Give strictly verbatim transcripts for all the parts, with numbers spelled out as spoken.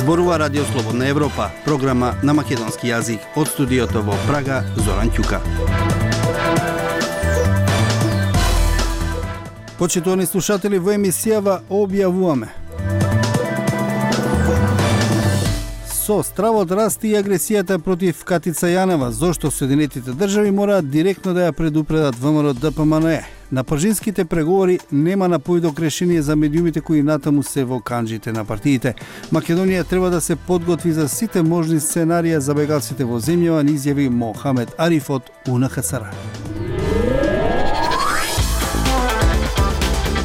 Зборува Радио Слободна Европа, програма на македонски јазик. Од студиото во Прага, Зоран Ќука. Почитувани слушатели, во емисијава објавуваме: со стравот расти и агресијата против Катица Јанева, зошто Соединетите држави мораат директно да ја предупредат ВМРО Д П М Н Е. На пржинските преговори нема напојдок решение за медиумите кои натаму се во канџите на партиите. Македонија треба да се подготви за сите можни сценарија за бегалците во земјава, ни изјави Мохамед Ариф од У Н Х С Р.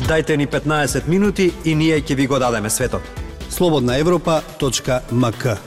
Дајте ни петнаесет минути и ние ќе ви го дадеме светот. слободна европа точка м к.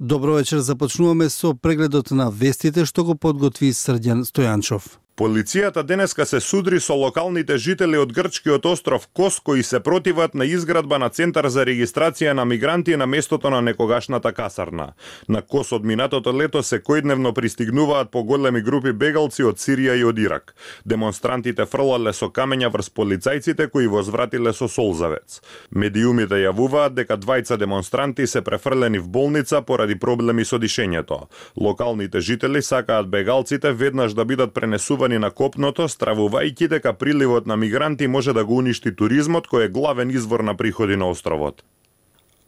Добро вечер, започнуваме со прегледот на вестите што го подготви Срđan Стојанчов. Полицијата денеска се судри со локалните жители од грчкиот остров Кос кои се противат на изградба на центар за регистрација на мигранти на местото на некогашната касарна. На Кос од минатото лето секојдневно пристигнуваат поголеми групи бегалци од Сирија и од Ирак. Демонстрантите фрлале со камења врз полицајците кои возвратиле со солзавец. Медиумите јавуваат дека двајца демонстранти се префрлени в болница поради проблеми со дишењето. Локалните жители сакаат бегалците веднаш да бидат пренесувани на копното, стравувајќи дека приливот на мигранти може да го уништи туризмот кој е главен извор на приходи на островот.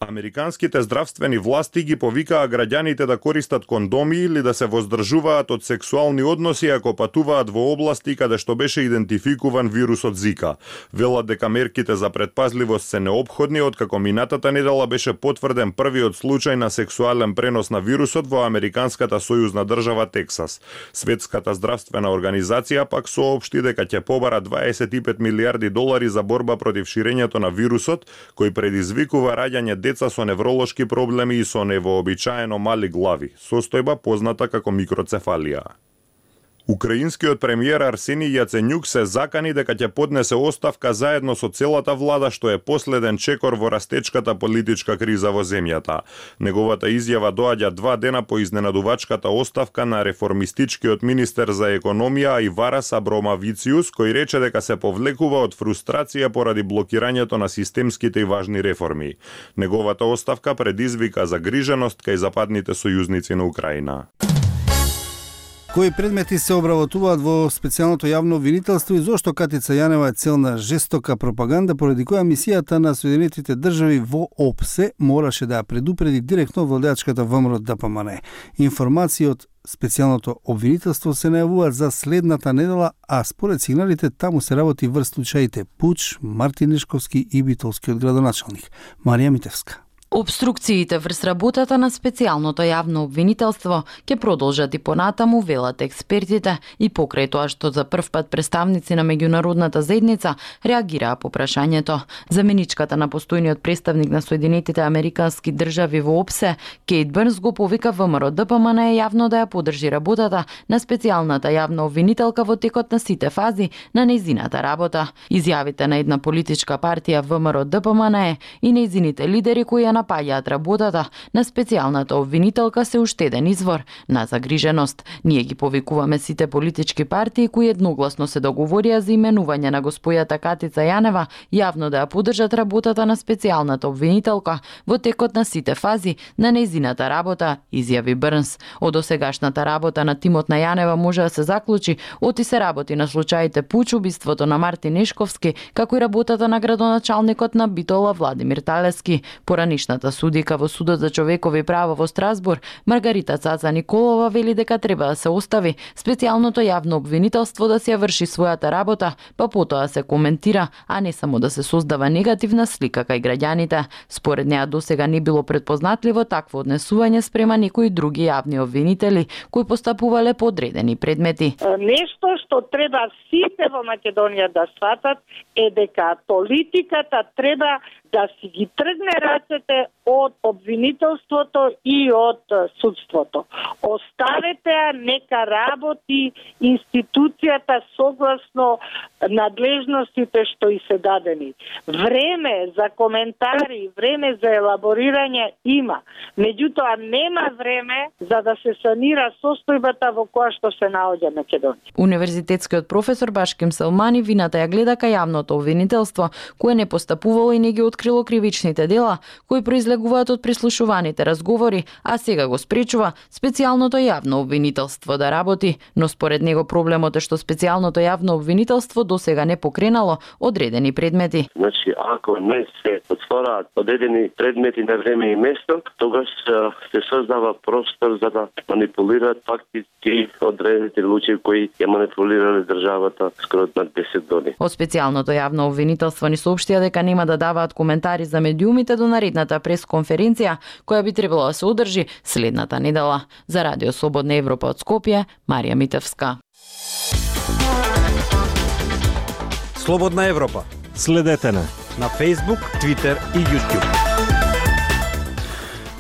Американските здравствени власти ги повикаа граѓаните да користат кондоми или да се воздржуваат од сексуални односи ако патуваат во области каде што беше идентификуван вирусот Зика. Велат дека мерките за предпазливост се неопходни откако минатата недела беше потврден првиот случај на сексуален пренос на вирусот во американската сојузна држава Тексас. Светската здравствена организација пак соопшти дека ќе побара дваесет и пет милијарди долари за борба против ширењето на вирусот кој предизвикува раѓање деца со невролошки проблеми и со невообичаено мали глави, состојба позната како микроцефалија. Украинскиот премиер Арсенија Јаценјук се закани дека ќе поднесе оставка заедно со целата влада, што е последен чекор во растечката политичка криза во земјата. Неговата изјава доаѓа два дена по изненадувачката оставка на реформистичкиот министер за економија Иварас Абромавициус, кој рече дека се повлекува од фрустрација поради блокирањето на системските и важни реформи. Неговата оставка предизвика загриженост кај западните сојузници на Украина. Кои предмети се обработуваат во специјалното јавно обвинителство и зошто Катица Јанева е цел на жестока пропаганда, поради која мисијата на Соединетите држави во О П С Е мораше да ја предупреди директно владеачката ВМРО Д П М Н Е. Информации од специјалното обвинителство се најавуваат за следната недела, а според сигналите таму се работи врз случаите Пуч, Мартин Нешковски и Битолскиот градоначалник. Марија Митевска. Обструкциите врз работата на специјалното јавно обвинителство ќе продолжат и понатаму, велат експертите, и покрај тоа што за прв пат представници на меѓународната заедница реагираа по прашањето. Заменичката на постојниот представник на Соединетите американски држави во О П С Е, Кейт Бърнс, го повика ВМРО Д П М Н Е јавно да ја поддржи работата на специјалната јавна обвинителка во текот на сите фази на нејзината работа. Изјавите на една политичка партија ВМРО Д П М Н Е и нејзините лидери кои ја напаѓаат работата на специјалната обвинителка се уште еден извор на загриженост. Ние ги повикуваме сите политички партии кои едногласно се договорија за именување на госпојата Катица Јанева јавно да ја поддржат работата на специјалната обвинителка во текот на сите фази на нејзината работа, изјави Бърнс. Од досегашната работа на тимот на Јанева може да се заклучи оти се работи на случаите Пуч, убиството на Мартин Нешковски, како и работата на градоначалникот на Битола Владимир Талевски. Поранишната судика во Судот за човекови права во Страсбур, Маргарита Цаца Николова, вели дека треба да се остави специјалното јавно обвинителство да се врши својата работа, па потоа се коментира, а не само да се создава негативна слика кај граѓаните. Според неа досега не било предпознатливо такво однесување спрема некои други јавни обвинители кои постапувале по одредени предмети. Нешто што треба сите во Македонија да сватат е дека политиката треба да си ги тргне рацете од обвинителството и од судството. Оставете ја, нека работи институцијата согласно надлежностите што и се дадени. Време за коментари, време за елаборирање има. Меѓутоа нема време за да се санира состојбата во која што се наоѓа Македонија. Универзитетскиот професор Башким Селмани вината ја гледа кај јавното обвинителство, кое не постапувало и не ги открило кривичните дела кои произлегуваат од прислушуваните разговори, а сега го спречува специјалното јавно обвинителство да работи, но според него проблемот е што специјалното јавно обвинителство досега не покренало одредени предмети. Значи, ако не се отвораат одредени предмети на време и место, тогаш се создава простор за да манипулираат фактички одредените луѓе кои ја манипулирале државата скоро на десет години. Од специјалното јавно обвинителство ни соопштија дека нема да даваат коментари за медиумите до наредната пресконференција која би требало да се одржи следната недела. За Радио Слободна Европа од Скопје, Марија Митевска. Слободна Европа. Следете на на Facebook, Twitter и YouTube.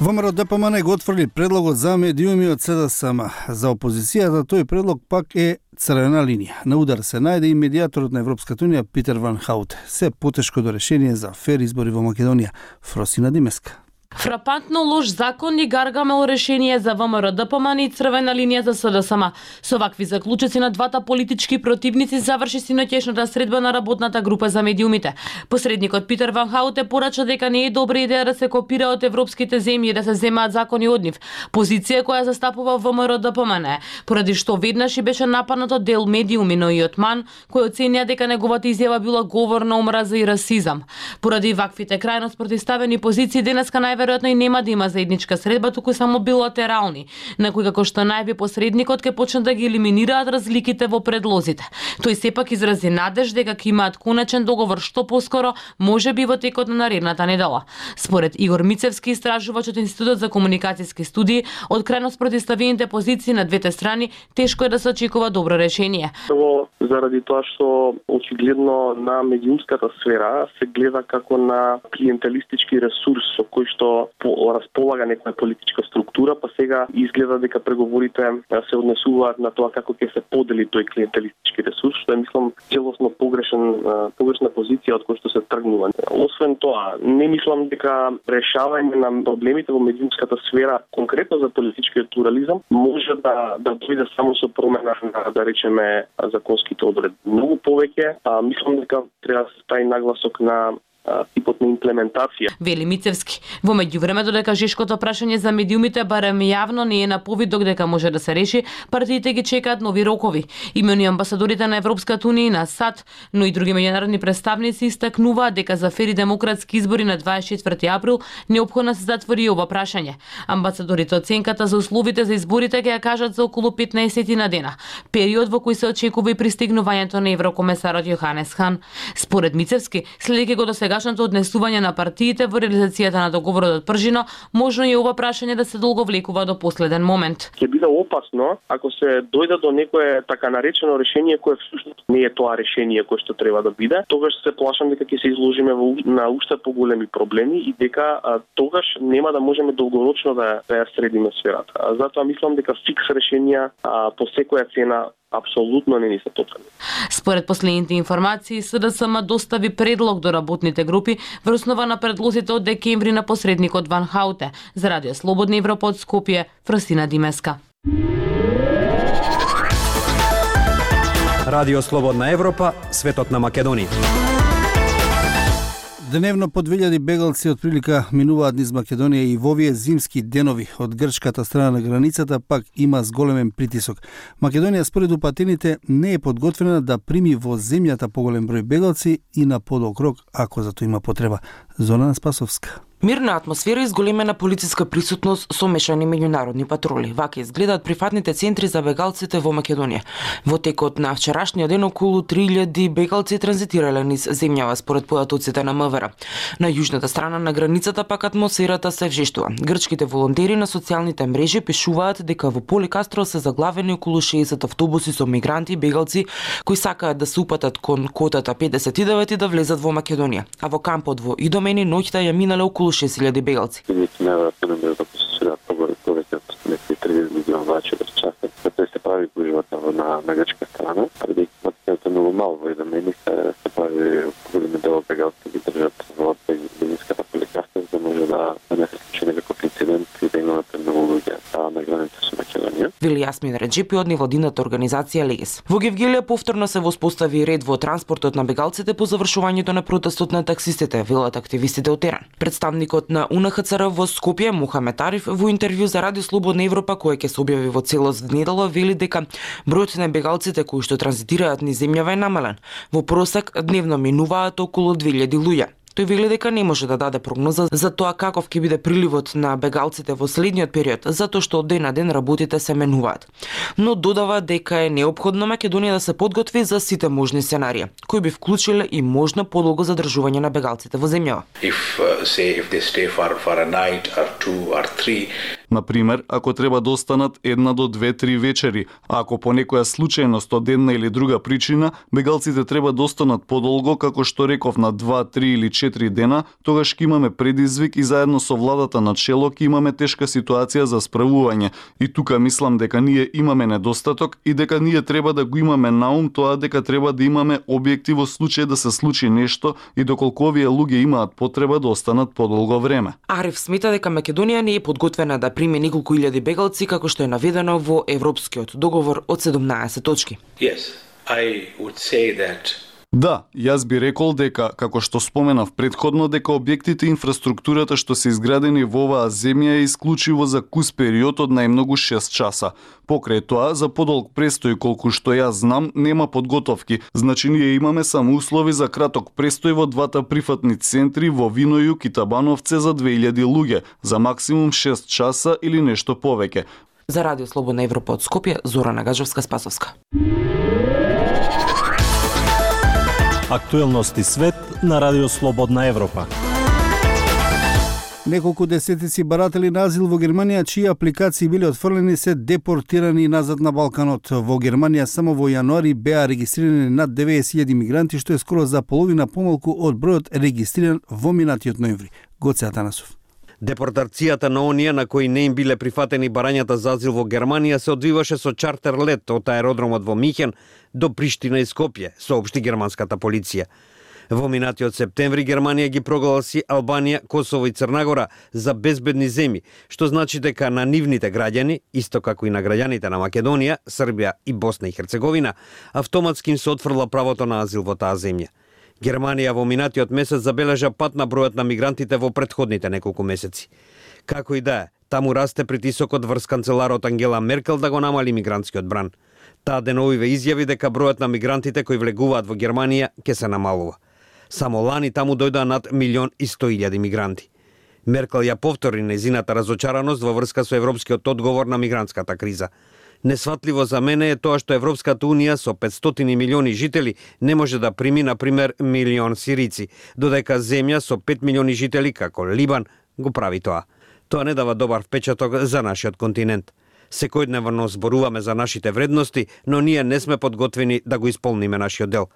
ВМРО Д П М Н го отфрли предлогот за медиуми од С Д С М. За опозицијата тој предлог пак е црвена линија. На удар се најде и медијаторот на Европската унија Питер Ван Хауте. Се потешко до решение за фер избори во Македонија. Фросина Димеска. Фрапантно лош закон и гаргамел решение за ВМРО Д П М Н и црвена линија за С Д С М. Со вакви заклучоци на двата политички противници заврши синоќешната средба на работната група за медиумите. Посредникот Питер Ван Хауте порача дека не е добра идеја да се копира од европските земји и да се земаат закони од нив. Позиција која застапува ВМРО Д П М Н, поради што веднаш и беше нападнат од дел медиуми, но и од МАН, кој оценија дека неговата изјава била говор на омраза и расизам. Поради ваквите крајно спротивставени позиции денеска најверојатно и нема да има заедничка средба, туку само билатерални, на кои како што најави посредникот ќе почнат да ги елиминираат разликите во предлозите. Тој сепак изрази надеж дека ќе имаат конечен договор што поскоро, можеби во текот на наредната недела. Според Игор Мицевски, истражувач од Институтот за комуникацијски студии, од крајно спротивставените позиции на двете страни, тешко е да се очекува добро решение. Прво, заради тоа што очигледно на медиумската сфера се гледа како на клиентелистички ресурс со кој што располага некоја политичка структура, па сега изгледа дека преговорите се однесуваат на тоа како ќе се подели тој клиентелистички ресурс, што е, мислам, целосно погрешен, погрешна позиција од која што се тргнува. Освен тоа, не мислам дека решавање на проблемите во медиумската сфера, конкретно за политичкиот плурализам, може да да дојде само со промена на, да речеме, законските одредби. Многу повеќе, а, мислам дека треба да се стави нагласок на типот на имплементација. Вели Мицевски. Во меѓувреме, додека жешкото прашање за медиумите барем јавно не е на повидок дека може да се реши, партиите ги чекаат нови рокови. Имени амбасадорите на Европската унија и на САД, но и други меѓународни представници истакнуваат дека за фери демократски избори на дваесет и четврти април неопходно се затвори ова прашање. Амбасадорите оценката за условите за изборите ќе ја кажат за околу петнаесет на дена, период во кој се очекува и пристигнувањето на еврокомесарот Јоханес Хан. Според Мицевски, следејќи го до сегашното однесување на партиите во реализацијата на договорот од Пржино, можно е ова прашање да се долговлекува до последен момент. Ќе биде опасно ако се дојде до некое така наречено решение кое всушност не е тоа решение кое што треба да биде. Тогаш се плашам дека ќе се изложиме во, на уште поголеми проблеми и дека а, тогаш нема да можеме долгорочно да, да ја средиме сферата. А, затоа мислам дека фикс решенија а, по секоја цена апсолутно не ни се потребни. Според последните информации, С Д С М достави предлог до работните групи врз основа на предлозите од декември на посредникот Ван Хауте. За Радио Слободна Европа од Скопје, Фросина Димеска. Радио Слободна Европа, светот на Македонија. Дневно по две илјади бегалци од прилика минуваат низ Македонија и во овие зимски денови од грчката страна на границата пак има зголемен притисок. Македонија според упатените не е подготвена да прими во земјата поголем број бегалци и на подолг рок ако за тоа има потреба. Зона Спасовска. Мирна атмосфера и зголемена полициска присутност со мешани меѓународни патроли. Вака изгледаат прифатните центри за бегалците во Македонија. Во текот на вчерашниот ден околу три илјади бегалци транзитирале низ земјава според податоците на М В Р. На јужната страна на границата пак атмосферата се вжештува. Грчките волонтери на социјалните мрежи пишуваат дека во Поликастро се заглавени околу шеесет автобуси со мигранти и бегалци кои сакаат да се упатат кон котата педесет и девет и да влезат во Македонија. А во кампот во Идомени ноќта ја минале околу околу шест илјади бегалци. Неверојатно не може да посоцираат повеќе од некои триесет милиона влачи до часа. Тоа се прави гужвата на на грчка страна, преди патиот е многу мал во еден меник се прави големи дел бегалци ги држат во бенинската поликарта, за да може да не се случи некој инцидент и да имате многу луѓе на граница со Македонија. Вели Јасмин Реджепи од невладината организација Легес. Во Гевгелија повторно се воспостави ред во транспортот на бегалците по завршувањето на протестот на таксистите, велат активистите од терен. Представникот на У Н Х Ц Р во Скопје, Мухамет Ариф, во интервју за Радио Слободна Европа, кој ќе се објави во целост внедела, вели дека бројот на бегалците кои што транзитираат низ земјава е намален. Во просек дневно минуваат околу две илјади луѓе. Тој вели дека не може да даде прогноза за тоа каков ќе биде приливот на бегалците во следниот период, затоа што од ден на ден работите се менуваат. Но додава дека е неопходно Македонија да се подготви за сите можни сценарии, кои би вклучиле и можно подолго задржување на бегалците во земјава. If, uh, say, if they stay for, for a night or two or three, Например, ако треба да останат една до две-три вечери, а ако по некоја случајност од една или друга причина, бегалците треба да останат подолго, како што реков, на два, три или четири дена, тогаш ќе имаме предизвик и заедно со владата на чело ќе имаме тешка ситуација за справување. И тука мислам дека ние имаме недостаток и дека ние треба да го имаме на ум тоа дека треба да имаме објекти во случај да се случи нешто и доколку овие луѓе имаат потреба да останат подолго време. Ариф смета дека Македонија не е подготвена да приме неколку илјади бегалци како што е наведено во Европскиот договор од седумнаесет точки. Yes, I would say that Да, јас би рекол дека, како што споменав предходно, дека објектите и инфраструктурата што се изградени во оваа земја е исклучиво за кус период од најмногу шест часа. Покрај тоа, за подолг престој колку што јас знам, нема подготовки. Значи ние имаме само услови за краток престој во двата прифатни центри во Винојук и Табановце за две илјади луѓе, за максимум шест часа или нешто повеќе. За Радио Слободна Европа од Скопје, Зорана Гаджевска-Спасовска. Актуелности свет на Радио Слободна Европа. Неколку десетици баратели на азил во Германија, чии апликации биле отфрлени, се депортирани назад на Балканот. Во Германија само во јануари беа регистрирани над деветдесет илјади мигранти, што е скоро за половина помалку од бројот регистриран во минатиот ноември. Гоце Атанасов. Депортацијата на оние на кои не им биле прифатени барањата за азил во Германија се одвиваше со чартер лет од аеродромот во Михен до Приштина и Скопје, соопшти германската полиција. Во минатиот септември Германија ги прогласи Албанија, Косово и Црнагора за безбедни земји, што значи дека на нивните граѓани, исто како и на граѓаните на Македонија, Србија и Босна и Херцеговина, автоматски им се отфрла правото на азил во таа земја. Германија во минатиот месец забележа пат на бројот на мигрантите во претходните неколку месеци. Како и да е, таму расте притисокот врз канцеларот Ангела Меркел да го намали мигрантскиот бран. Таа деновиве изјави дека бројот на мигрантите кои влегуваат во Германија ќе се намалува. Само лани таму дојдоа над милион и сто илјади мигранти. Меркел ја повтори нејзината разочараност во врска со европскиот одговор на мигрантската криза. Несватливо за мене е тоа што Европската Унија со петстотини милиони жители не може да прими, например, милион сирици, додека земја со пет милиони жители, како Либан, го прави тоа. Тоа не дава добар впечаток за нашиот континент. Секојдневно зборуваме за нашите вредности, но ние не сме подготвени да го исполниме нашиот дел.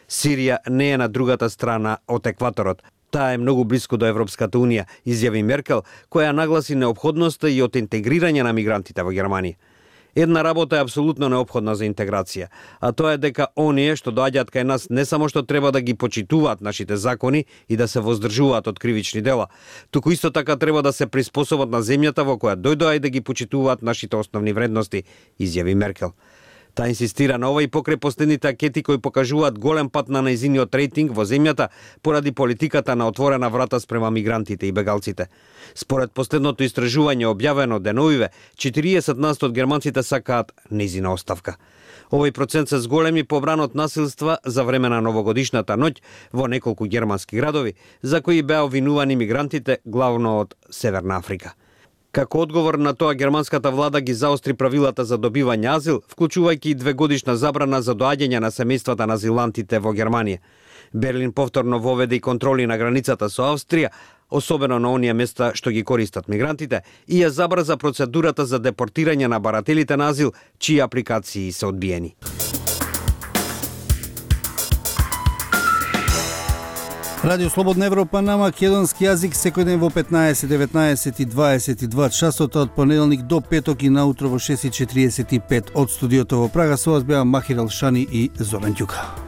Сирија не е на другата страна од екваторот. Таа е многу блиску до Европската Унија, изјави Меркел, која нагласи неопходноста и од интегрирање на мигрантите во Германија. Една работа е апсолутно неопходна за интеграција, а тоа е дека оние што доаѓаат кај нас не само што треба да ги почитуваат нашите закони и да се воздржуваат од кривични дела, туку исто така треба да се приспособат на земјата во која дојдоа и да ги почитуваат нашите основни вредности, изјави Меркел. Та инсистира на ова и покрај последните анкети кои покажуваат голем пат на нејзиниот рейтинг во земјата поради политиката на отворена врата спрема мигрантите и бегалците. Според последното истражување објавено деновиве, четириесет на сто од германците сакаат нејзина оставка. Овој процент се зголеми побран од насилства за време на новогодишната ноќ во неколку германски градови, за кои беа обвинувани мигрантите главно од Северна Африка. Како одговор на тоа, германската влада ги заостри правилата за добивање азил, вклучувајќи и двегодишна забрана за доаѓање на семејствата на азилантите во Германија. Берлин повторно воведе и контроли на границата со Австрија, особено на оние места што ги користат мигрантите, и ја забрза процедурата за депортирање на барателите на азил, чии апликации се одбиени. Радио Слободна Европа на македонски јазик секој ден во петнаесет, деветнаесет и дваесет и два часот од понеделник до петок и наутро во шест и четириесет и пет од студиото во Прага. Со вас беа Махир Алшани и Зоран Ѓука.